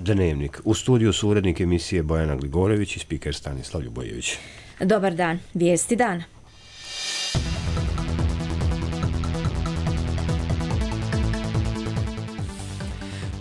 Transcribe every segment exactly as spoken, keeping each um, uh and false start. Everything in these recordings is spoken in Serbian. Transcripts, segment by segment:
Dnevnik. U studiju su urednik emisije Bojana Gligorević i spiker Stanislav Ljubojević. Dobar dan. Vijesti dana.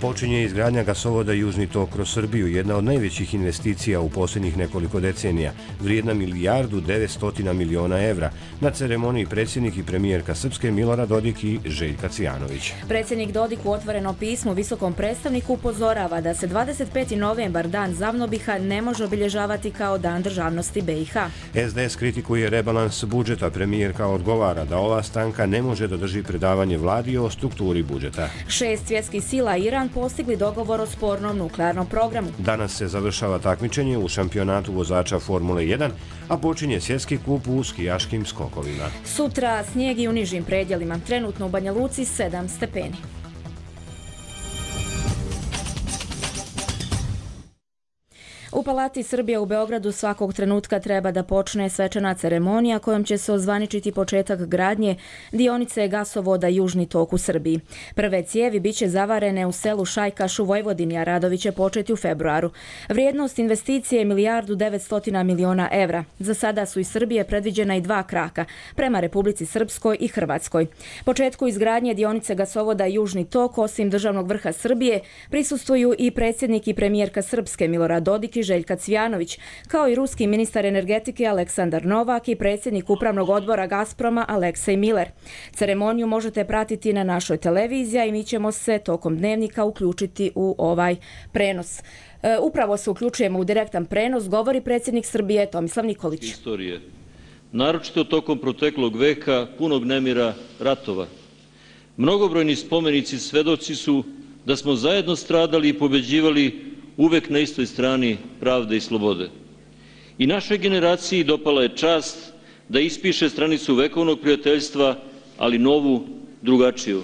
Počinje izgradnja gasovoda Južni tok kroz Srbiju, jedna od najvećih investicija u posljednjih nekoliko decenija, vrijedna milijardu devetstotina miliona evra. Na ceremoniji predsjednik i premijerka Srpske Milorad Dodik i Željka Cvijanović. Predsjednik Dodik u otvorenom pismu visokom predstavniku upozorava da se dvadeset peti novembar, dan Zavnobiha, ne može obilježavati kao dan državnosti B i H. S D S kritikuje rebalans budžeta, premijerka odgovara da ova stranka ne može da drži predavanje vladi o strukturi budžeta. Šest svjetskih sila Iran postigli dogovor o spornom nuklearnom programu. Danas se završava takmičenje u šampionatu vozača Formule jedan, a počinje svjetski kup u skijaškim skokovima. Sutra snijeg i u nižim predjelima, trenutno u Banja Luci sedam stepeni. U Palati Srbije u Beogradu svakog trenutka treba da počne svečana ceremonija kojom će se ozvaničiti početak gradnje dionice gasovoda Južni tok u Srbiji. Prve cijevi biće zavarene u selu Šajkaš u Vojvodini, a radovi će početi u februaru. Vrijednost investicije je milijardu devetstotina miliona evra. Za sada su iz Srbije predviđena i dva kraka, prema Republici Srpskoj i Hrvatskoj. Početku izgradnje dionice gasovoda Južni tok, osim državnog vrha Srbije, prisustvuju i predsjednik i premijerka Srpske Milorad Dodik i Željka Cvijanović, kao i ruski ministar energetike Aleksandar Novak i predsjednik upravnog odbora Gazproma Aleksej Miller. Ceremoniju možete pratiti na našoj televiziji i mi ćemo se tokom dnevnika uključiti u ovaj prenos. E, upravo se uključujemo u direktan prenos, govori predsjednik Srbije Tomislav Nikolić. Istorije, naročito tokom proteklog veka, punog nemira, ratova. Mnogobrojni spomenici svedoci su da smo zajedno stradali i pobeđivali uvek na istoj strani pravde i slobode. I našoj generaciji dopala je čast da ispiše stranicu vekovnog prijateljstva, ali novu, drugačiju.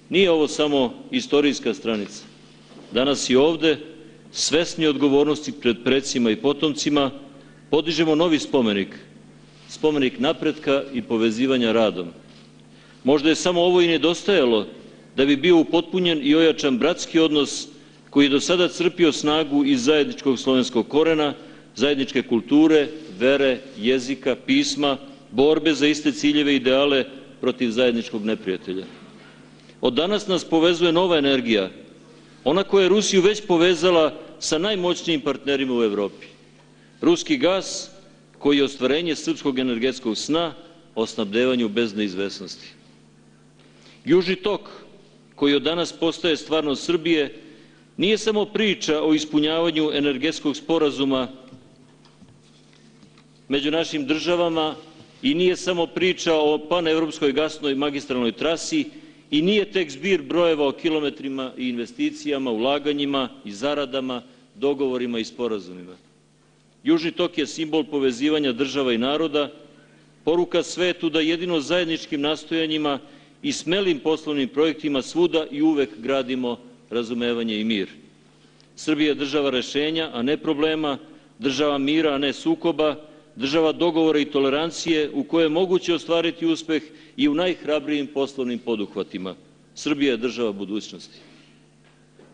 Nije ovo samo istorijska stranica. Danas i ovde, svesni odgovornosti pred precima i potomcima, podižemo novi spomenik, spomenik napretka i povezivanja radom. Možda je samo ovo i nedostajalo da bi bio upotpunjen i ojačan bratski odnos koji je do sada crpio snagu iz zajedničkog slovenskog korena, zajedničke kulture, vere, jezika, pisma, borbe za iste ciljeve i ideale protiv zajedničkog neprijatelja. Od danas nas povezuje nova energija, ona koja je Rusiju već povezala sa najmoćnijim partnerima u Evropi. Ruski gas, koji je ostvarenje srpskog energetskog sna o snabdevanju bez neizvesnosti. Južni tok, koji od danas postaje stvarnost Srbije, nije samo priča o ispunjavanju energetskog sporazuma među našim državama i nije samo priča o panevropskoj gasnoj magistralnoj trasi i nije tek zbir brojeva o kilometrima i investicijama, ulaganjima i zaradama, dogovorima i sporazumima. Južni tok je simbol povezivanja država i naroda, poruka svetu da jedino zajedničkim nastojanjima i smelim poslovnim projektima svuda i uvek gradimo razumevanje i mir. Srbija je država rešenja, a ne problema, država mira, a ne sukoba, država dogovora i tolerancije u kojoj je moguće ostvariti uspeh i u najhrabrijim poslovnim poduhvatima. Srbija je država budućnosti.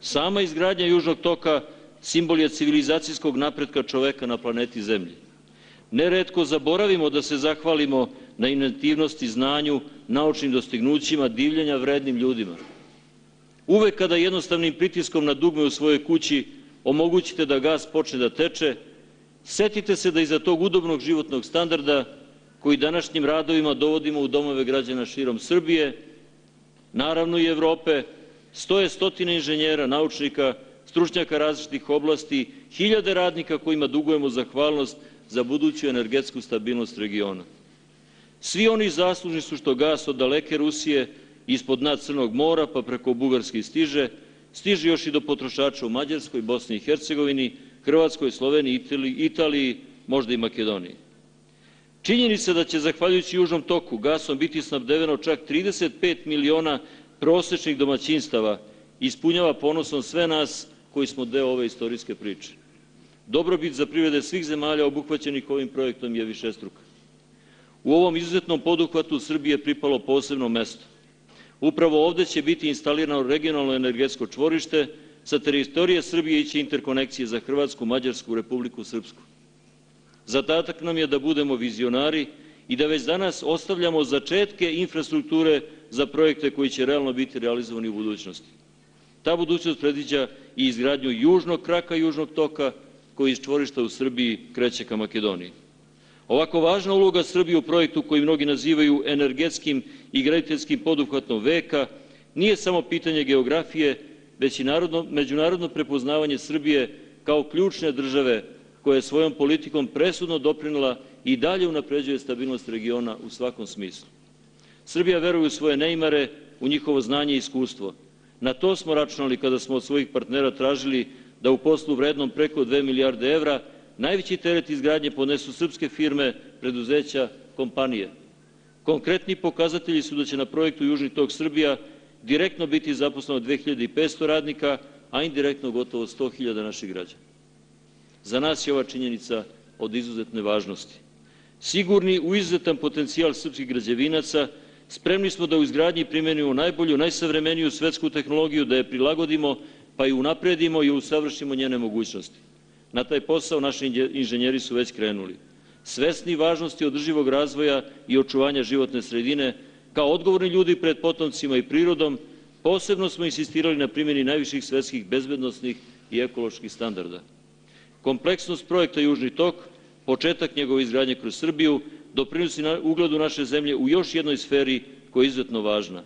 Sama izgradnja Južnog toka simbol je civilizacijskog napretka čoveka na planeti Zemlji. Neretko zaboravimo da se zahvalimo na inventivnosti, znanju, naučnim dostignućima, divljenja vrednim ljudima. Uvek kada jednostavnim pritiskom na dugme u svojoj kući omogućite da gas počne da teče, setite se da iza tog udobnog životnog standarda, koji današnjim radovima dovodimo u domove građana širom Srbije, naravno i Evrope, stoje stotine inženjera, naučnika, stručnjaka različitih oblasti, hiljade radnika kojima dugujemo zahvalnost za buduću energetsku stabilnost regiona. Svi oni zaslužni su što gas od daleke Rusije ispod dna Crnog mora pa preko Bugarske stiže, stiže još i do potrošača u Mađarskoj, Bosni i Hercegovini, Hrvatskoj, Sloveniji, Italiji, možda i Makedoniji. Činjenica da će, zahvaljujući Južnom toku, gasom biti snabdeveno čak trideset pet miliona prosečnih domaćinstava, ispunjava ponosom sve nas koji smo deo ove istorijske priče. Dobrobit za privrede svih zemalja obuhvaćenih ovim projektom je višestruka. U ovom izuzetnom poduhvatu Srbije je pripalo posebno mesto. Upravo ovde će biti instalirano regionalno energetsko čvorište sa teritorije Srbije iće interkonekcije za Hrvatsku, Mađarsku, Republiku Srpsku. Zadatak nam je da budemo vizionari i da već danas ostavljamo začetke infrastrukture za projekte koji će realno biti realizovani u budućnosti. Ta budućnost predviđa i izgradnju južnog kraka južnog toka koji iz čvorišta u Srbiji kreće ka Makedoniji. Ovako važna uloga Srbije u projektu koji mnogi nazivaju energetskim i graditeljskim poduhvatom veka nije samo pitanje geografije, već i narodno, međunarodno prepoznavanje Srbije kao ključne države koja je svojom politikom presudno doprinela i dalje unapređuje stabilnost regiona u svakom smislu. Srbija veruje u svoje neimare, u njihovo znanje i iskustvo. Na to smo računali kada smo od svojih partnera tražili da u poslu vrednom preko dve milijarde evra najveći teret izgradnje podnesu srpske firme, preduzeća, kompanije. Konkretni pokazatelji su da će na projektu Južni tok Srbija direktno biti zaposleno dve hiljade petsto radnika, a indirektno gotovo sto hiljada naših građana. Za nas je ova činjenica od izuzetne važnosti. Sigurni u izuzetan potencijal srpskih građevinaca, spremni smo da u izgradnji primenimo najbolju, najsavremeniju svetsku tehnologiju, da je prilagodimo, pa i unapredimo i usavršimo njene mogućnosti. Na taj posao naši inženjeri su već krenuli. Svesni važnosti održivog razvoja i očuvanja životne sredine, kao odgovorni ljudi pred potomcima i prirodom, posebno smo insistirali na primjeni najviših svetskih bezbednosnih i ekoloških standarda. Kompleksnost projekta Južni tok, početak njegove izgradnje kroz Srbiju, doprinosi ugledu naše zemlje u još jednoj sferi koja je izuzetno važna.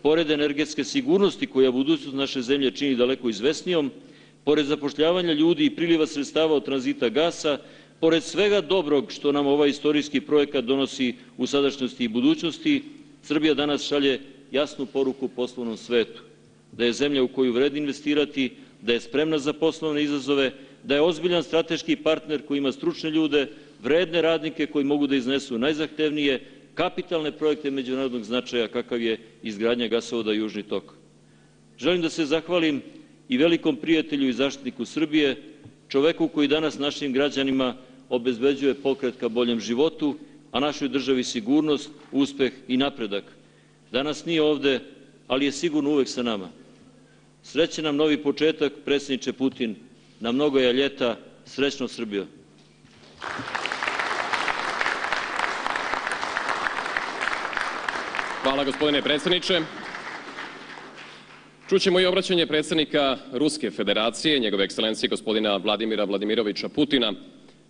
Pored energetske sigurnosti koja budućnost naše zemlje čini daleko izvesnijom, pored zapošljavanja ljudi i priliva sredstava od tranzita gasa, pored svega dobrog što nam ovaj istorijski projekat donosi u sadašnjosti i budućnosti, Srbija danas šalje jasnu poruku poslovnom svetu, da je zemlja u koju vredi investirati, da je spremna za poslovne izazove, da je ozbiljan strateški partner koji ima stručne ljude, vredne radnike koji mogu da iznesu najzahtevnije kapitalne projekte međunarodnog značaja kakav je izgradnja gasovoda Južni tok. Želim da se zahvalim i velikom prijatelju i zaštitniku Srbije, čoveku koji danas našim građanima obezbeđuje pokret ka boljem životu, a našoj državi sigurnost, uspeh i napredak. Danas nije ovde, ali je sigurno uvek sa nama. Srećan nam novi početak, predsjedniče Putin, na mnogoja ljeta, srećno Srbijo. Hvala gospodine predsjedniče. Čućemo i obraćanje predsjednika Ruske federacije, njegove ekscelencije gospodina Vladimira Vladimiroviča Putina.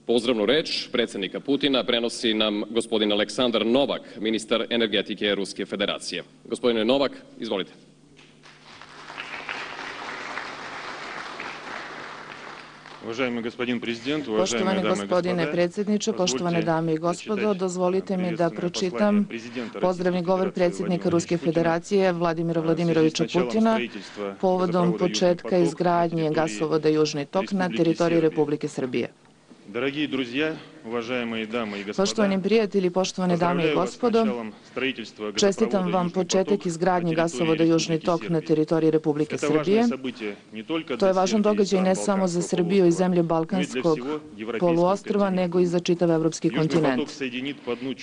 Pozdravnu reč predsjednika Putina prenosi nam gospodin Aleksandar Novak, ministar energetike Ruske federacije. Gospodine Novak, izvolite. Poštovani gospodine predsjedniče, poštovane dame i gospodo, dozvolite mi da pročitam pozdravni govor predsjednika Ruske federacije Vladimira Vladimiroviča Putina povodom početka izgradnje gasovoda Južni tok na teritoriji Republike Srbije. Poštovani prijatelji, poštovane dame i gospodo, čestitam vam početak izgradnje gasovoda Južni tok na teritoriji Republike Srbije. To je važan događaj ne samo za Srbiju i zemlje Balkanskog poluostrva, nego i za čitav evropski kontinent.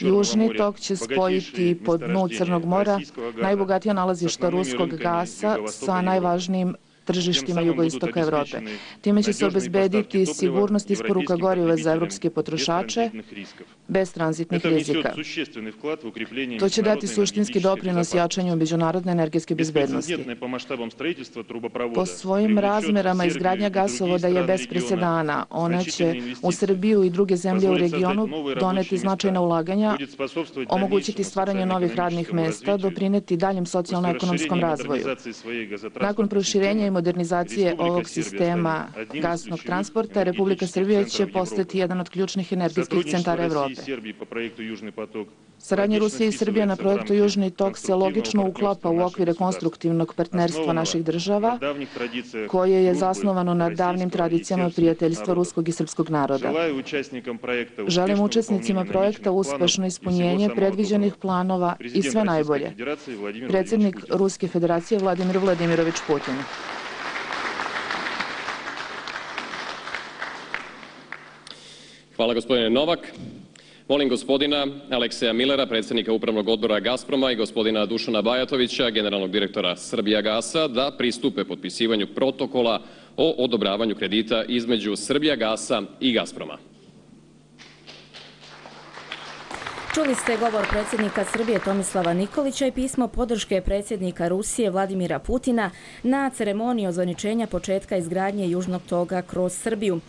Južni tok će spojiti po dnu Crnog mora najbogatija nalazišta ruskog gasa sa najvažnijim tržištima jugoistoka Evrope. Time će se obezbediti sigurnost isporuka goriva za evropske potrošače bez tranzitnih rizika. To će dati suštinski doprinos jačanju međunarodne energetske bezbednosti. Po svojim razmerama izgradnja gasovoda je bez presedana. Ona će u Srbiju i druge zemlje u regionu doneti značajna ulaganja, omogućiti stvaranje novih radnih mesta, doprineti daljem socijalno-ekonomskom razvoju. Nakon proširenja i modernizacije ovog sistema gasnog transporta, Republika Srbija će postati jedan od ključnih energetskih centara Evrope. Saradnja Rusije i Srbije na projektu Južni tok se logično uklapa u okvire konstruktivnog partnerstva naših država, koje je zasnovano na davnim tradicijama prijateljstva ruskog i srpskog naroda. Želim učesnicima projekta uspešno ispunjenje predviđenih planova i sve najbolje. Predsjednik Ruske federacije Vladimir Vladimirovič Putin. Hvala gospodine Novak. Molim gospodina Alekseja Millera, predsjednika Upravnog odbora Gazproma i gospodina Dušana Bajatovića, generalnog direktora Srbijagasa, da pristupe potpisivanju protokola o odobravanju kredita između Srbijagasa i Gazproma. Čuli ste govor predsjednika Srbije Tomislava Nikolića i pismo podrške predsjednika Rusije Vladimira Putina na ceremoniji ozvaničenja početka izgradnje Južnog toga kroz Srbiju.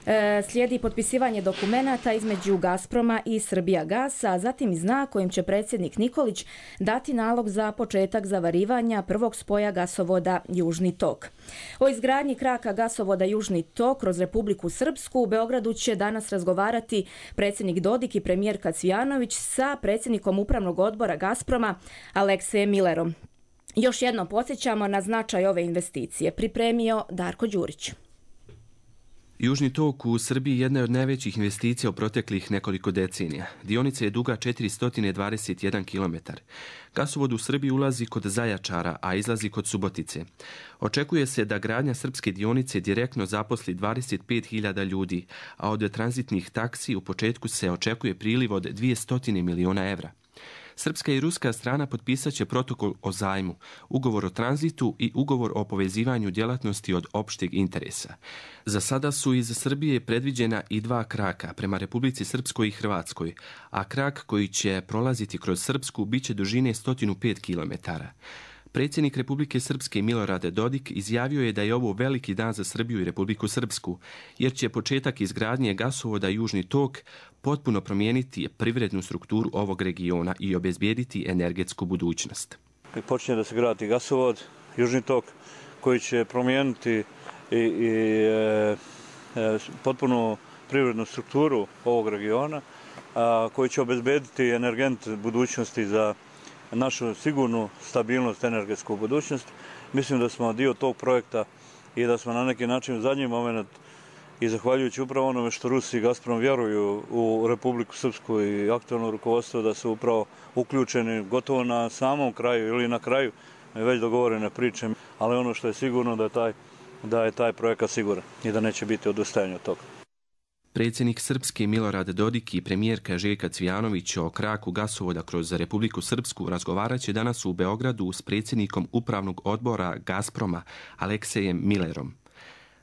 E, slijedi potpisivanje dokumenata između Gazproma i Srbijagasa, a zatim i znak kojim će predsjednik Nikolić dati nalog za početak zavarivanja prvog spoja gasovoda Južni tok. O izgradnji kraka gasovoda Južni tok kroz Republiku Srpsku u Beogradu će danas razgovarati predsjednik Dodik i premijerka Cvijanović sa predsjednikom Upravnog odbora Gazproma Aleksejem Millerom. Još jednom podsjećamo na značaj ove investicije. Pripremio Darko Đurić. Južni tok u Srbiji jedna je od najvećih investicija u proteklih nekoliko decenija. Dionica je duga četiristo dvadeset jedan kilometar. Gasovod u Srbiji ulazi kod Zajačara, a izlazi kod Subotice. Očekuje se da gradnja srpske dionice direktno zaposli dvadeset pet hiljada ljudi, a od tranzitnih taksi u početku se očekuje priliv od dvjesto miliona evra. Srpska i ruska strana potpisat će protokol o zajmu, ugovor o tranzitu i ugovor o povezivanju djelatnosti od opšteg interesa. Za sada su iz Srbije predviđena i dva kraka prema Republici Srpskoj i Hrvatskoj, a krak koji će prolaziti kroz Srpsku biće dužine sto pet kilometara. Predsjednik Republike Srpske Milorad Dodik izjavio je da je ovo veliki dan za Srbiju i Republiku Srpsku, jer će početak izgradnje gasovoda Južni tok potpuno promijeniti privrednu strukturu ovog regiona i obezbijediti energetsku budućnost. Počinje da se gradi gasovod Južni tok koji će promijeniti i, i e, e, potpuno privrednu strukturu ovog regiona, a, koji će obezbijediti energent budućnosti za našu sigurnu stabilnost, energetsku budućnost. Mislim da smo dio tog projekta i da smo na neki način u zadnji moment i zahvaljujući upravo onome što Rusi i Gazprom vjeruju u Republiku Srpsku i aktualno rukovodstvo da su upravo uključeni gotovo na samom kraju ili na kraju već dogovorene priče, ali ono što je sigurno da je taj, da je taj projekat siguran i da neće biti odustajanja od toga. Predsjednik Srpske Milorad Dodik i premijerka Željka Cvijanović o kraku gasovoda kroz Republiku Srpsku razgovarat će danas u Beogradu s predsjednikom Upravnog odbora Gazproma Aleksejem Millerom.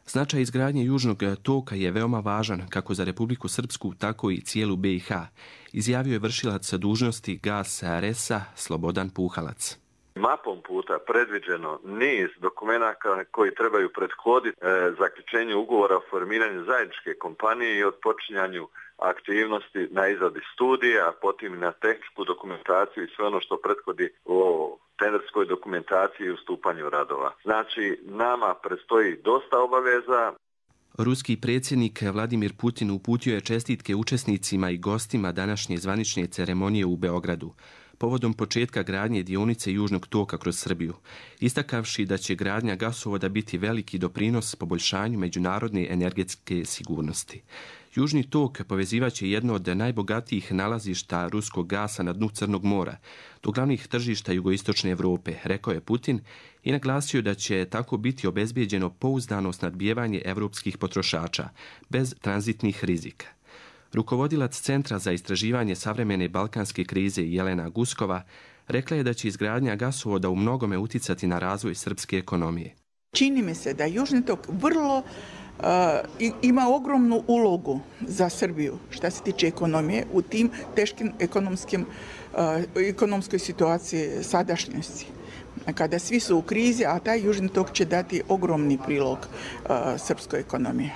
Značaj izgradnje Južnog toka je veoma važan kako za Republiku Srpsku, tako i cijelu B i H, izjavio je vršilac dužnosti Gas R S-a Slobodan Puhalac. Mapom puta predviđeno niz dokumenata koji trebaju prethoditi e, zaključenju ugovora o formiranju zajedničke kompanije i odpočinjanju aktivnosti na izradi studija, a potom i na tehničku dokumentaciju i sve ono što prethodi o tenderskoj dokumentaciji i ustupanju radova. Znači, nama predstoji dosta obaveza. Ruski predsjednik Vladimir Putin uputio je čestitke učesnicima i gostima današnje zvanične ceremonije u Beogradu povodom početka gradnje dionice Južnog toka kroz Srbiju, istakavši da će gradnja gasovoda biti veliki doprinos poboljšanju međunarodne energetske sigurnosti. Južni tok povezivaće jedno od najbogatijih nalazišta ruskog gasa na dnu Crnog mora, do glavnih tržišta jugoistočne Evrope, rekao je Putin i naglasio da će tako biti obezbijeđeno pouzdano snadbijevanje evropskih potrošača, bez tranzitnih rizika. Rukovodilac Centra za istraživanje savremene balkanske krize Jelena Guskova rekla je da će izgradnja gasovoda u mnogome uticati na razvoj srpske ekonomije. Čini mi se da Južni tok vrlo uh, ima ogromnu ulogu za Srbiju što se tiče ekonomije u tim teškim ekonomskim, uh, ekonomskoj situaciji sadašnjosti. Kada svi su u krizi, a taj Južni tok će dati ogromni prilog uh, srpskoj ekonomiji.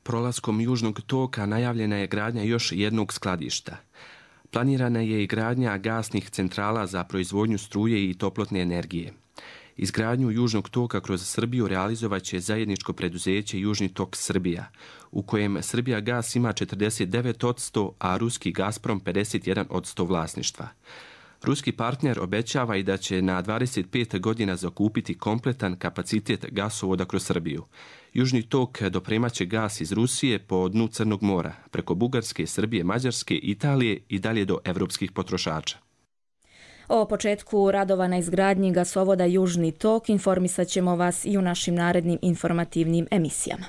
Prolaskom Južnog toka najavljena je gradnja još jednog skladišta. Planirana je i gradnja gasnih centrala za proizvodnju struje i toplotne energije. Izgradnju Južnog toka kroz Srbiju realizovat će zajedničko preduzeće Južni tok Srbija, u kojem Srbijagas ima četrdeset devet posto, a ruski Gazprom pedeset jedan posto vlasništva. Ruski partner obećava i da će na dvadeset pet godina zakupiti kompletan kapacitet gasovoda kroz Srbiju. Južni tok dopremaće gas iz Rusije po dnu Crnog mora, preko Bugarske, Srbije, Mađarske, Italije i dalje do evropskih potrošača. O početku radova na izgradnji gasovoda Južni tok informisat ćemo vas i u našim narednim informativnim emisijama.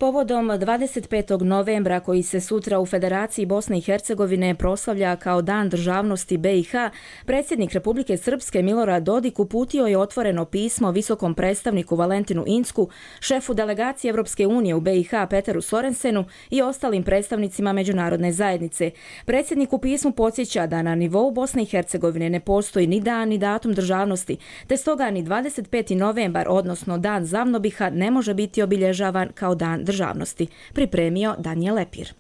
Povodom dvadeset petog novembra, koji se sutra u Federaciji Bosne i Hercegovine proslavlja kao Dan državnosti B i H, predsjednik Republike Srpske Milorad Dodik uputio je otvoreno pismo visokom predstavniku Valentinu Incku, šefu delegacije Evropske unije u B i H Peteru Sorensenu i ostalim predstavnicima međunarodne zajednice. Predsjednik u pismu podsjeća da na nivou Bosne i Hercegovine ne postoji ni dan ni datum državnosti, te stoga ni dvadeset peti novembar, odnosno Dan Zavnobiha, ne može biti obilježavan kao dan državnosti. Pripremio Danijel Lepir.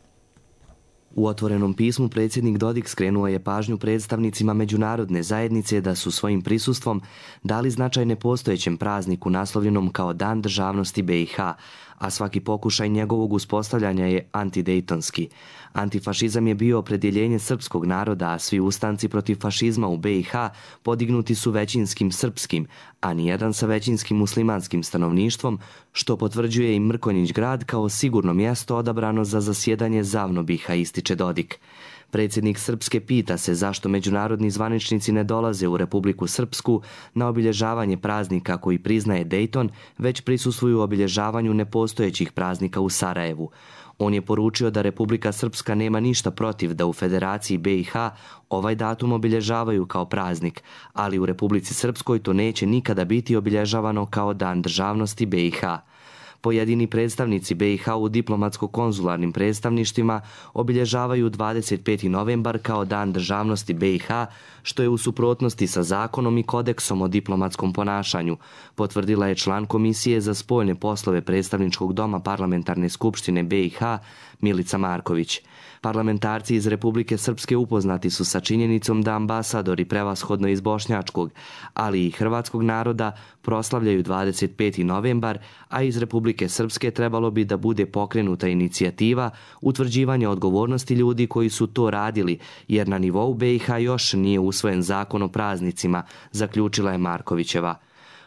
U otvorenom pismu predsjednik Dodik skrenuo je pažnju predstavnicima međunarodne zajednice da su svojim prisustvom dali značaj nepostojećem prazniku naslovljenom kao Dan državnosti B i H, a svaki pokušaj njegovog uspostavljanja je antidejtonski. Antifašizam je bio opredjeljenje srpskog naroda, a svi ustanci protiv fašizma u B i H podignuti su većinskim srpskim, a nijedan sa većinskim muslimanskim stanovništvom, što potvrđuje i Mrkonjić grad kao sigurno mjesto odabrano za zasjedanje Zavnobiha, ističe Dodik. Predsjednik Srpske pita se zašto međunarodni zvaničnici ne dolaze u Republiku Srpsku na obilježavanje praznika koji priznaje Dejton, već prisustvuju obilježavanju nepostojećih praznika u Sarajevu. On je poručio da Republika Srpska nema ništa protiv da u Federaciji B i H ovaj datum obilježavaju kao praznik, ali u Republici Srpskoj to neće nikada biti obilježavano kao Dan državnosti B i H. Pojedini predstavnici B i H u diplomatsko-konzularnim predstavništvima obilježavaju dvadeset peti novembar kao Dan državnosti B i H, što je u suprotnosti sa zakonom i kodeksom o diplomatskom ponašanju, potvrdila je član Komisije za spoljne poslove Predstavničkog doma Parlamentarne skupštine B i H Milica Marković. Parlamentarci iz Republike Srpske upoznati su sa činjenicom da ambasadori prevashodno iz bošnjačkog, ali i hrvatskog naroda proslavljaju dvadeset peti novembar, a iz Republike Srpske trebalo bi da bude pokrenuta inicijativa utvrđivanja odgovornosti ljudi koji su to radili, jer na nivou B i H još nije usvojen zakon o praznicima, zaključila je Markovićeva.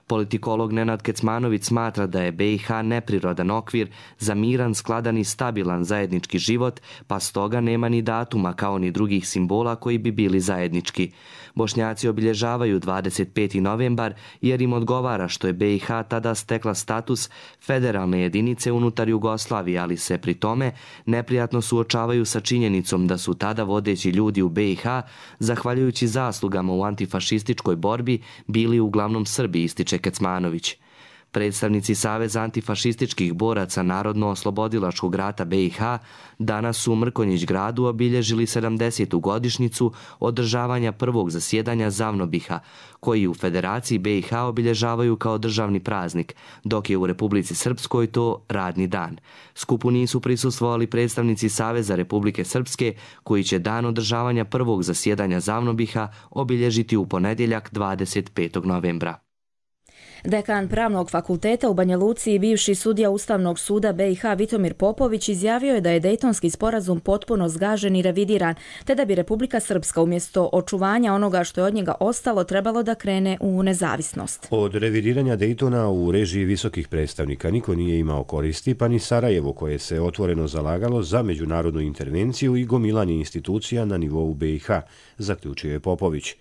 Politikolog Nenad Kecmanović smatra da je B i H neprirodan okvir za miran, skladan i stabilan zajednički život, pa stoga nema ni datuma kao ni drugih simbola koji bi bili zajednički. Bošnjaci obilježavaju dvadeset peti novembar jer im odgovara što je B i H tada stekla status federalne jedinice unutar Jugoslavije, ali se pri tome neprijatno suočavaju sa činjenicom da su tada vodeći ljudi u B i H, zahvaljujući zaslugama u antifašističkoj borbi, bili uglavnom Srbi, ističe Kecmanović. Predstavnici Saveza antifašističkih boraca Narodno-oslobodilačkog rata B i H danas su u Mrkonjić gradu obilježili sedamdesetu godišnjicu održavanja prvog zasjedanja Zavnobiha, koji u Federaciji B i H obilježavaju kao državni praznik, dok je u Republici Srpskoj to radni dan. Skupu nisu prisustvovali predstavnici Saveza Republike Srpske, koji će dan održavanja prvog zasjedanja Zavnobiha obilježiti u ponedjeljak dvadeset petog novembra. Dekan Pravnog fakulteta u Banja Luci i bivši sudija Ustavnog suda B i H Vitomir Popović izjavio je da je Dejtonski sporazum potpuno zgažen i revidiran, te da bi Republika Srpska umjesto očuvanja onoga što je od njega ostalo trebalo da krene u nezavisnost. Od revidiranja Dejtona u režiji visokih predstavnika niko nije imao koristi, pa ni Sarajevo, koje se otvoreno zalagalo za međunarodnu intervenciju i gomilanje institucija na nivou B i H, zaključio je Popović.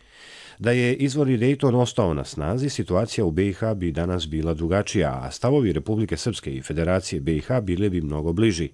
Da je izvorni Dejton ostao na snazi, situacija u B i H bi danas bila drugačija, a stavovi Republike Srpske i Federacije B i H bile bi mnogo bliži.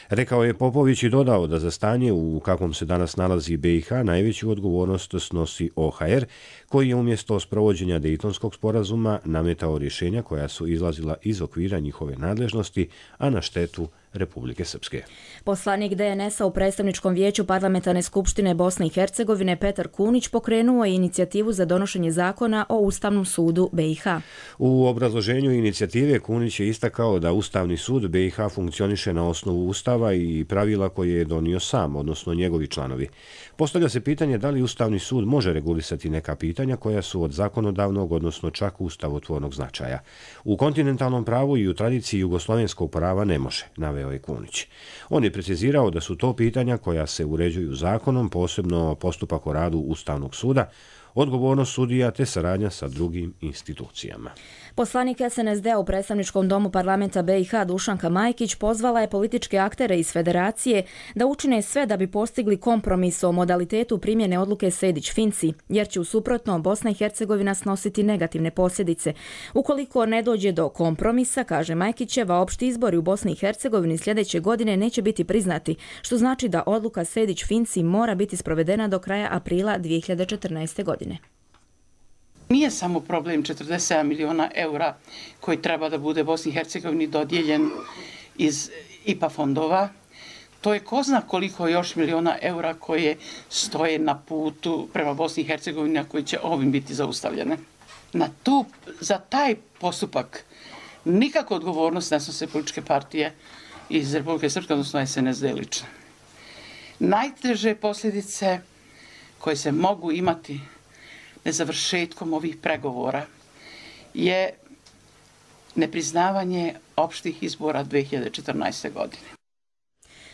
Rekao je Popović i dodao da za stanje u kakvom se danas nalazi B i H najveću odgovornost snosi O H R, koji je umjesto sprovođenja Dejtonskog sporazuma nametao rješenja koja su izlazila iz okvira njihove nadležnosti, a na štetu Republike Srpske. Poslanik D N S-a u predstavničkom vijeću Parlamentarne skupštine Bosne i Hercegovine Petar Kunić pokrenuo je inicijativu za donošenje zakona o Ustavnom sudu B i H. U obrazloženju inicijative Kunić je istakao da Ustavni sud B i H funkcioniše na osnovu Ustava i pravila koje je donio sam, odnosno njegovi članovi. Postavlja se pitanje da li Ustavni sud može regulisati neka pitanja koja su od zakonodavnog, odnosno čak ustavotvornog značaja. U kontinentalnom pravu i u tradiciji jugoslovenskog prava ne može, naveo je Kunić. On je precizirao da su to pitanja koja se uređuju zakonom, posebno postupak o radu Ustavnog suda, odgovornost sudija te saradnja sa drugim institucijama. Poslanik S N S D-a u predstavničkom domu parlamenta B i H Dušanka Majkić pozvala je političke aktere iz federacije da učine sve da bi postigli kompromis o modalitetu primjene odluke Sejdić-Finci, jer će u suprotno Bosna i Hercegovina snositi negativne posljedice. Ukoliko ne dođe do kompromisa, kaže Majkićeva, opšti izbori u Bosni i Hercegovini sljedeće godine neće biti priznati, što znači da odluka Sejdić-Finci mora biti sprovedena do kraja aprila dvije hiljade četrnaeste. godine. Nije samo problem četrdeset sedam miliona eura koji treba da bude Bosni i Hercegovini dodijeljen iz I P A fondova. To je ko zna koliko još miliona eura koje stoje na putu prema Bosni i Hercegovini, a koji će ovim biti zaustavljene. Na tu, za taj postupak nikako odgovornost ne snose političke partije iz Republike Srpske, odnosno S N S D lično. Najteže posljedice koje se mogu imati nezavršetkom ovih pregovora je nepriznavanje opštih izbora dvije hiljade četrnaeste. godine.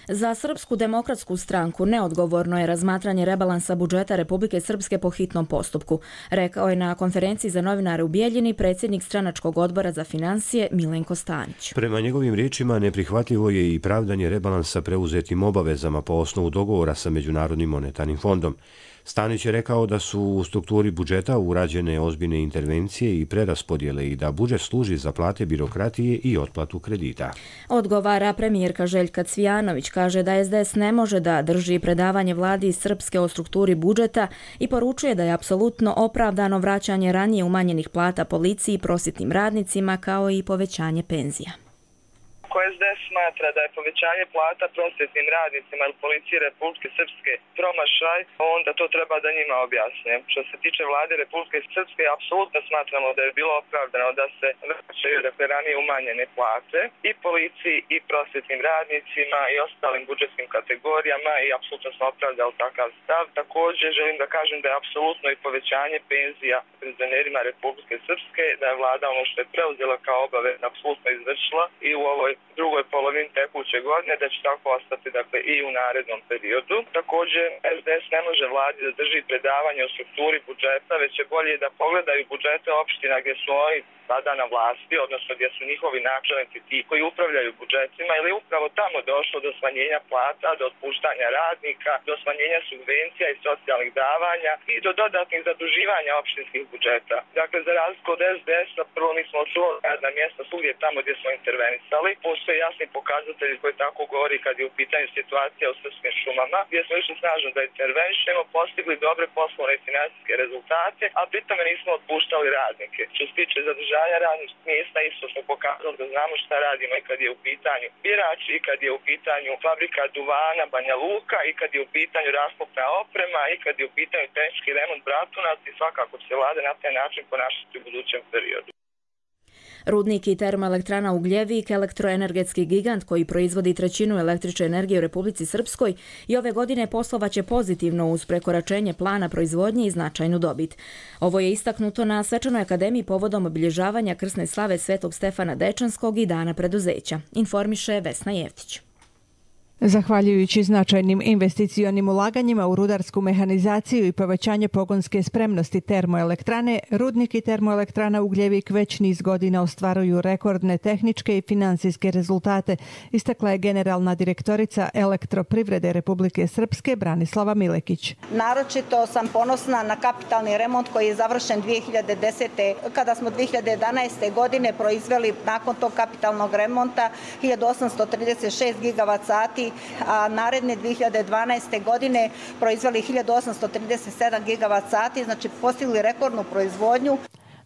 Za Srpsku demokratsku stranku neodgovorno je razmatranje rebalansa budžeta Republike Srpske po hitnom postupku, rekao je na konferenciji za novinare u Bijeljini predsjednik stranačkog odbora za financije Milenko Stanić. Prema njegovim riječima neprihvatljivo je i pravdanje rebalansa preuzetim obavezama po osnovu dogovora sa Međunarodnim monetarnim fondom. Stanić je rekao da su u strukturi budžeta urađene ozbiljne intervencije i preraspodjele i da budžet služi za plate birokratije i otplatu kredita. Odgovara premijerka Željka Cvijanović, kaže da S D S ne može da drži predavanje vladi iz Srpske o strukturi budžeta i poručuje da je apsolutno opravdano vraćanje ranije umanjenih plata policiji i prosvjetnim radnicima kao i povećanje penzija. Ako S D S smatra da je povećanje plata prosvjetnim radnicima ili policije Republike Srpske promašaj, onda to treba da njima objasne. Što se tiče vlade Republike Srpske, apsolutno smatramo da je bilo opravdano da se vraćaju dakle ranije umanjene plate i policiji i prosvjetnim radnicima i ostalim budžetskim kategorijama i apsolutno smo opravdali takav stav. Također želim da kažem da je apsolutno i povećanje penzija penzionerima Republike Srpske, da je vlada ono što je preuzela kao obavez apsolutno izvršila i u ovoj drugoj polovini tekuće godine, da će tako ostati dakle i u narednom periodu. Također S D S ne može vladi da drži predavanje o strukturi budžeta, već je bolje da pogledaju budžete opština gdje su oni sada na vlasti, odnosno gdje su njihovi načelnici ti koji upravljaju budžetima, ili upravo tamo došlo do smanjenja plata, do otpuštanja radnika, do smanjenja subvencija i socijalnih davanja i do dodatnih zaduživanja opštinskih budžeta. Dakle, za razliku od S D S-a, prvo mi smo očuvali radna mjesta svugdje tamo gdje smo intervenisali. Postoje jasni pokazatelji koji tako govori kad je u pitanju situacija u srpskim šumama, gdje smo išli snažno da intervenišemo, postigli dobre poslovne i financijske rezultate, a pritome nismo otpuštali radnike. Što se tiče zadržanja radnih mjesta, isto smo pokazali da znamo šta radimo i kad je u pitanju birači, i kad je u pitanju fabrika duvana Banja Luka, i kad je u pitanju rasklopna oprema, i kad je u pitanju tehnički remont Bratunac, i svakako će vlada na taj način ponašati u budućem periodu. Rudnik i termoelektrana Ugljevik, elektroenergetski gigant koji proizvodi trećinu električne energije u Republici Srpskoj, i ove godine poslovaće pozitivno uz prekoračenje plana proizvodnje i značajnu dobit. Ovo je istaknuto na Svečanoj akademiji povodom obilježavanja krsne slave Svetog Stefana Dečanskog i Dana preduzeća, informiše Vesna Jevtić. Zahvaljujući značajnim investicionim ulaganjima u rudarsku mehanizaciju i povećanje pogonske spremnosti termoelektrane, rudnik i termoelektrana Ugljevik već niz godina ostvaruju rekordne tehničke i financijske rezultate, istakla je generalna direktorica Elektroprivrede Republike Srpske Branislava Milekić. Naročito sam ponosna na kapitalni remont koji je završen dvije hiljade desete. kada smo dvije hiljade jedanaeste. godine proizveli nakon tog kapitalnog remonta hiljadu osamsto trideset šest gigavat sati, a naredne dvije hiljade dvanaeste. godine proizveli hiljadu osamsto trideset sedam gigavat sati, znači postigli rekordnu proizvodnju.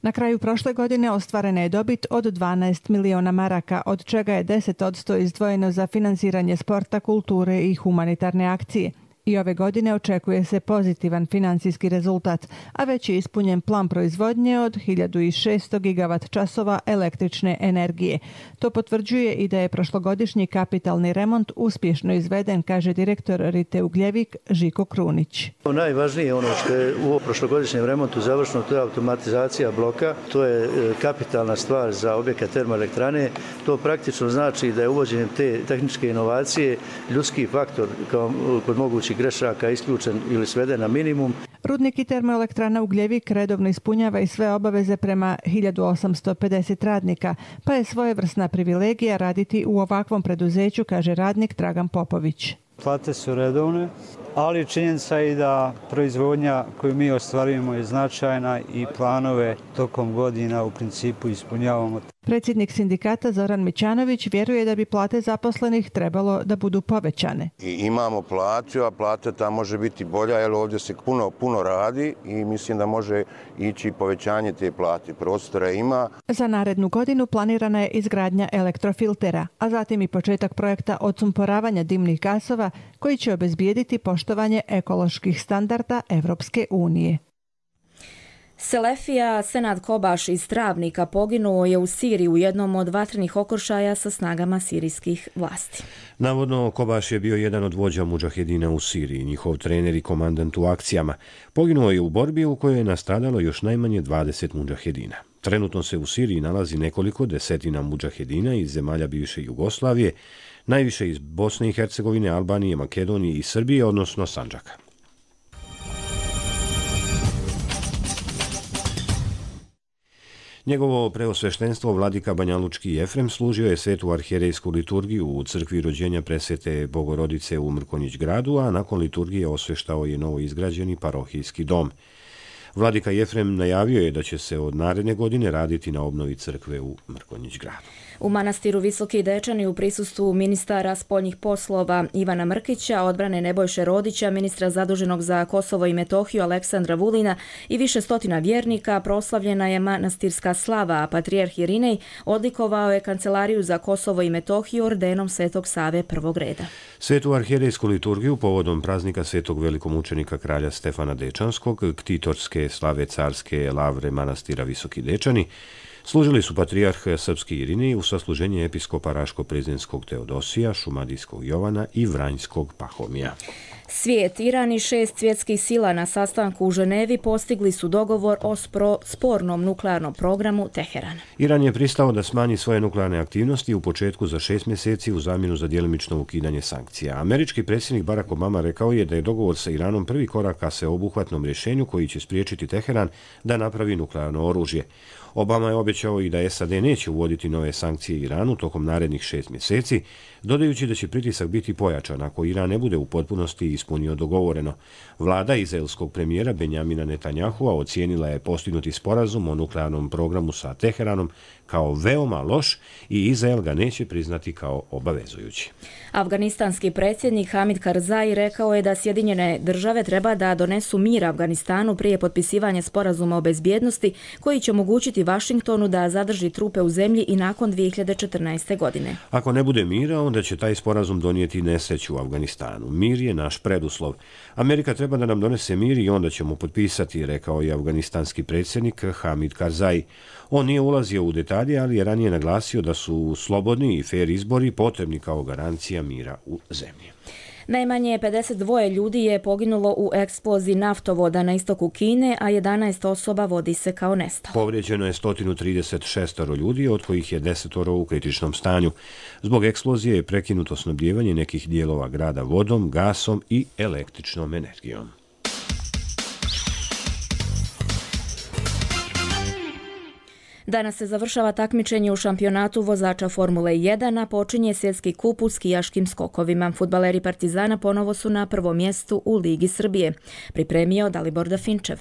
Na kraju prošle godine ostvarena je dobit od dvanaest miliona maraka, od čega je deset posto izdvojeno za finansiranje sporta, kulture i humanitarne akcije. I ove godine očekuje se pozitivan financijski rezultat, a već je ispunjen plan proizvodnje od hiljadu šesto gigavat časova električne energije. To potvrđuje i da je prošlogodišnji kapitalni remont uspješno izveden, kaže direktor Rite Ugljevik Žiko Krunić. Najvažnije je ono što je u prošlogodišnjem remontu završeno, to je automatizacija bloka. To je kapitalna stvar za objekat termoelektrane. To praktično znači da je uvođenjem te tehničke inovacije ljudski faktor kao kod mogućih grešaka isključen ili sveden na minimum. Rudnik i termoelektrana Ugljevik redovno ispunjava i sve obaveze prema hiljadu osamsto pedeset radnika, pa je svojevrsna privilegija raditi u ovakvom preduzeću, kaže radnik Dragan Popović. Plate su redovne, ali činjenica je da proizvodnja koju mi ostvarujemo je značajna i planove tokom godina u principu ispunjavamo. Predsjednik sindikata Zoran Mićanović vjeruje da bi plate zaposlenih trebalo da budu povećane. I imamo platu, a plata ta može biti bolja, jer ovdje se puno, puno radi i mislim da može ići povećanje te plate. Prostora ima. Za narednu godinu planirana je izgradnja elektrofiltera, a zatim i početak projekta odsumporavanja dimnih gasova koji će obezbijediti poštovanje ekoloških standarda Evropske unije. Selefija Senad Kobaš iz Travnika poginuo je u Siriji u jednom od vatrenih okršaja sa snagama sirijskih vlasti. Navodno, Kobaš je bio jedan od vođa mudžahedina u Siriji, njihov trener i komandant u akcijama. Poginuo je u borbi u kojoj je nastradalo još najmanje dvadeset mudžahedina. Trenutno se u Siriji nalazi nekoliko desetina mudžahedina iz zemalja bivše Jugoslavije, najviše iz Bosne i Hercegovine, Albanije, Makedonije i Srbije, odnosno Sandžaka. Njegovo preosveštenstvo vladika Banjalučki Jefrem služio je svetu arhijerejsku liturgiju u crkvi rođenja presvete Bogorodice u Mrkonjić gradu, a nakon liturgije osveštao je novo izgrađeni parohijski dom. Vladika Jefrem najavio je da će se od naredne godine raditi na obnovi crkve u Mrkonjić gradu. U manastiru Visoki Dečani u prisustvu ministara spoljnih poslova Ivana Mrkića, odbrane Nebojše Rodića, ministra zaduženog za Kosovo i Metohiju Aleksandra Vulina i više stotina vjernika proslavljena je manastirska slava, a patrijarh Irinej odlikovao je Kancelariju za Kosovo i Metohiju ordenom Svetog Save prvog reda. Svetu arhijerejsku liturgiju povodom praznika svetog velikomučenika kralja Stefana Dečanskog, ktitorske slave carske lavre manastira Visoki Dečani, služili su patrijarh srpski Irinej u sasluženje episkopa Raško-Prezinskog Teodosija, Šumadijskog Jovana i Vranjskog Pahomija. Svijet, Iran i šest svjetskih sila na sastanku u Ženevi postigli su dogovor o spro, spornom nuklearnom programu Teherana. Iran je pristao da smanji svoje nuklearne aktivnosti u početku za šest mjeseci u zamjenu za djelimično ukidanje sankcija. Američki predsjednik Barack Obama rekao je da je dogovor sa Iranom prvi korak ka sveobuhvatnom rješenju koji će spriječiti Teheran da napravi nuklearno oružje. Obama je obećao i da S A D neće uvoditi nove sankcije Iranu tokom narednih šest mjeseci, dodajući da će pritisak biti pojačan ako Iran ne bude u potpunosti ispunio dogovoreno. Vlada izraelskog premijera Benjamina Netanyahua ocijenila je postignuti sporazum o nuklearnom programu sa Teheranom kao veoma loš i Izrael ga neće priznati kao obavezujući. Afganistanski predsjednik Hamid Karzai rekao je da Sjedinjene države treba da donesu mir Afganistanu prije potpisivanja sporazuma o bezbjednosti koji će omogućiti Vašingtonu da zadrži trupe u zemlji i nakon dvije hiljade četrnaeste. godine. Ako ne bude mira, onda će taj sporazum donijeti nesreću u Afganistanu. Mir je naš preduslov. Amerika treba da nam donese mir i onda ćemo potpisati, rekao je afganistanski predsjednik Hamid Karzai. On nije ulazio u detalje, ali je ranije naglasio da su slobodni i fer izbori potrebni kao garancija mira u zemlji. Najmanje pedeset dva ljudi je poginulo u eksploziji naftovoda na istoku Kine, a jedanaest osoba vodi se kao nestalo. Povrijeđeno je sto trideset šest ljudi, od kojih je deset u kritičnom stanju. Zbog eksplozije je prekinuto snabdijevanje nekih dijelova grada vodom, gasom i električnom energijom. Danas se završava takmičenje u šampionatu vozača Formule jedan, a počinje svjetski kup u skijaškim skokovima. Fudbaleri Partizana ponovo su na prvom mjestu u Ligi Srbije. Pripremio Dalibor Dafinčev.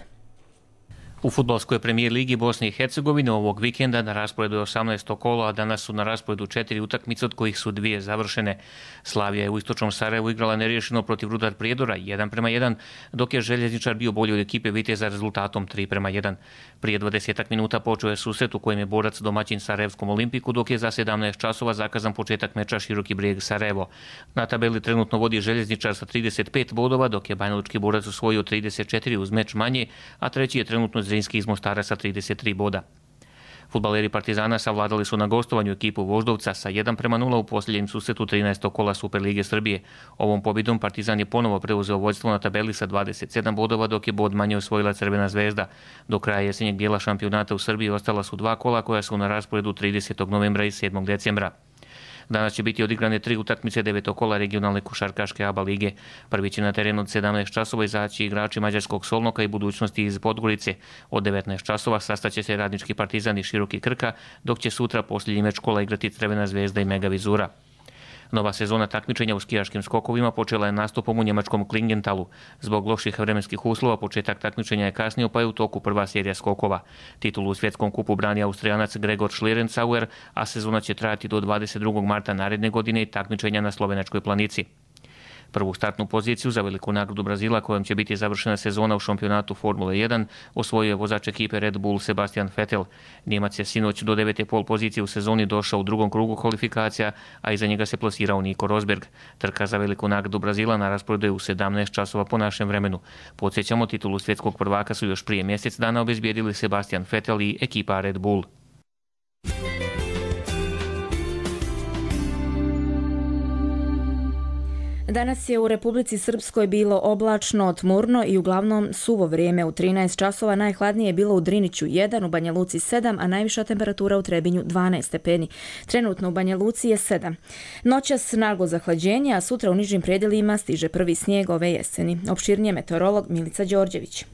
U fudbalskoj premijer ligi Bosne i Hercegovine ovog vikenda na rasporedu je osamnaesto kolo, a danas su na rasporedu četiri utakmice, od kojih su dvije završene. Slavija je u istočnom Sarajevu igrala neriješeno protiv Rudar Prijedora jedan prema jedan, dok je Željezničar bio bolji od ekipe Viteza rezultatom tri prema jedan. Prije dvadesetak minuta počeo je susret u kojem je borac domaćin Sarajevskom Olimpiku, dok je za sedamnaest časova zakazan početak meča Široki Brijeg Sarajevo. Na tabeli trenutno vodi Željezničar sa trideset pet bodova, dok je banjalučki borac osvojio trideset četiri uz meč manje, a treći je trenutno Zrinski iz Mostara sa trideset tri boda. Fudbaleri Partizana savladali su na gostovanju ekipu Voždovca sa jedan prema nula u posljednjem susretu trinaestog kola Superlige Srbije. Ovom pobjedom Partizan je ponovo preuzeo vođstvo na tabeli sa dvadeset sedam bodova, dok je bod manje osvojila Crvena zvezda. Do kraja jesenjeg dijela šampionata u Srbiji ostala su dva kola koja su na rasporedu tridesetog novembra i sedmog decembra. Danas će biti odigrane tri utakmice devetog kola regionalne košarkaške A B A lige. Prvi će na terenu od sedamnaest časova izaći igrači Mađarskog Solnoka i Budućnosti iz Podgorice. Od devetnaest časova sastaće se Radnički Partizan i Široki Krka, dok će sutra posljednji meč kola igrati Crvena Zvezda i Mega Vizura. Nova sezona takmičenja u skijaškim skokovima počela je nastupom u njemačkom Klingentalu. Zbog loših vremenskih uslova početak takmičenja je kasnio, pa je u toku prva serija skokova. Titulu u svjetskom kupu brani Austrijanac Gregor Schlierenzauer, a sezona će trajati do dvadeset drugog marta naredne godine i takmičenja na Slovenačkoj planici. Prvu startnu poziciju za veliku nagradu Brazila, kojom će biti završena sezona u šampionatu Formule jedan, osvojio je vozač ekipe Red Bull Sebastian Vettel. Njemac je sinoć do devete pol pozicije u sezoni došao u drugom krugu kvalifikacija, a iza njega se plasirao Nico Rosberg. Trka za veliku nagradu Brazila na rasporedu je u sedamnaest časova po našem vremenu. Podsjećamo, titulu svjetskog prvaka su još prije mjesec dana obezbijedili Sebastian Vettel i ekipa Red Bull. Danas je u Republici Srpskoj bilo oblačno, tmurno i uglavnom suvo vrijeme. U trinaest časova najhladnije je bilo u Driniću jedan, u Banja Luci sedam, a najviša temperatura u Trebinju dvanaest stepeni. Trenutno u Banja Luci je sedam. Noćas naglo zahlađenje, a sutra u nižim predjelima stiže prvi snijeg ove jeseni. Opširnije meteorolog Milica Đorđević.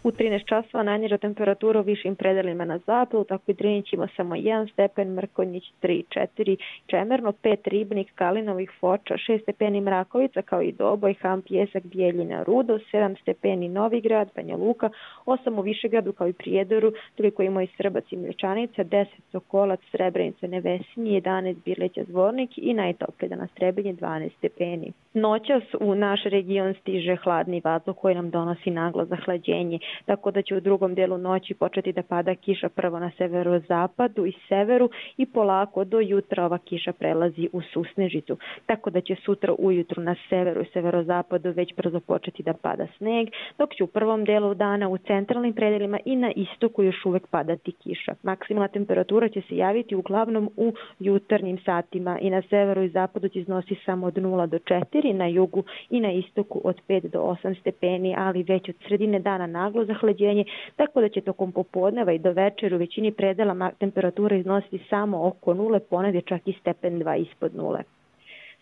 U trinaest časova najniža temperatura u višim predelima na zapadu, tako i Drinić ima samo jedan stepen, Mrkonjić tri četiri, Čemerno pet, Ribnik, Kalinovih, Foča šest stepeni, Mrakovica kao i Doboj, Ham, Pjesak, Bijeljina, Rudo sedam stepeni, Novigrad, Banja Luka osam u Višegradu kao i Prijedoru, toliko ima i Srbac i Mlječanica, deset Sokolac, Srebrenica, Nevesinje, jedanaest Birleća, Zvornik i najtoplije danas Trebinje dvanaest stepeni. Noćas u naš region stiže hladni vazduh koji nam donosi naglo zahlađenje, tako da će u drugom dijelu noći početi da pada kiša prvo na severozapadu i severu i polako do jutra ova kiša prelazi u susnežicu, tako da će sutra ujutru na severu i severozapadu već brzo početi da pada sneg, dok će u prvom dijelu dana u centralnim predelima i na istoku još uvek padati kiša. Maksimalna temperatura će se javiti uglavnom u jutarnjim satima i na severu i zapadu će iznositi samo od nula do četiri, na jugu i na istoku od pet do osam stepeni, ali već od sredine dana naglo zahlađenje, tako da će tokom popodneva i do večera u većini predela temperatura iznositi samo oko nule, ponegdje čak i stepen dva ispod nule.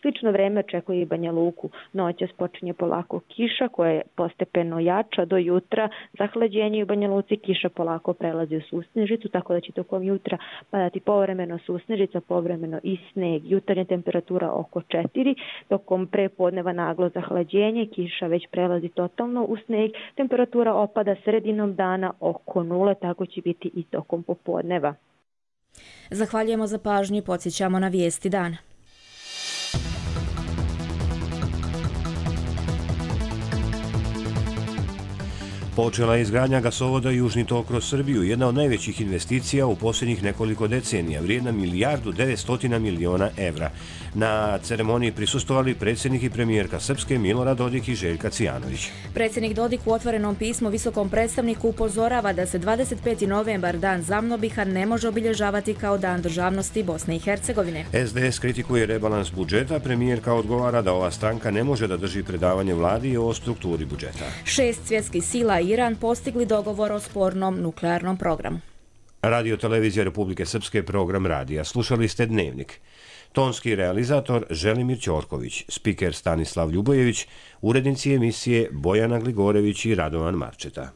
Slično vreme očekuje i Banja Luku. Noćas počinje polako kiša koja je postepeno jača do jutra. Zahlađenje u Banja Luci, kiša polako prelazi u susnežicu, tako da će tokom jutra padati povremeno susnežica, povremeno i sneg. Jutarnja temperatura oko četiri, tokom prepodneva naglo zahlađenje, kiša već prelazi totalno u sneg, temperatura opada sredinom dana oko nule, tako će biti i tokom popodneva. Zahvaljujemo za pažnju i podsjećamo na vijesti dana. Počela je izgradnja gasovoda Južni tok kroz Srbiju, jedna od najvećih investicija u posljednjih nekoliko decenija, vrijedna milijardu devetsto miliona evra. Na ceremoniji prisustvovali predsjednik i premijerka Srpske Milorad Dodik i Željka Cijanović. Predsjednik Dodik u otvorenom pismu visokom predstavniku upozorava da se dvadeset peti novembar, dan Zamnobiha, ne može obilježavati kao dan državnosti Bosne i Hercegovine. S D S kritikuje rebalans budžeta, premijerka odgovara da ova stranka ne može da drži predavanje vladi o strukturi budžeta. Šest svjetskih sila i Iran postigli dogovor o spornom nuklearnom programu. Radio televizija Republike Srpske, program radija. Slušali ste Dnevnik. Tonski realizator Želimir Ćorković, spiker Stanislav Ljubojević, urednici emisije Bojana Gligorević i Radovan Marčeta.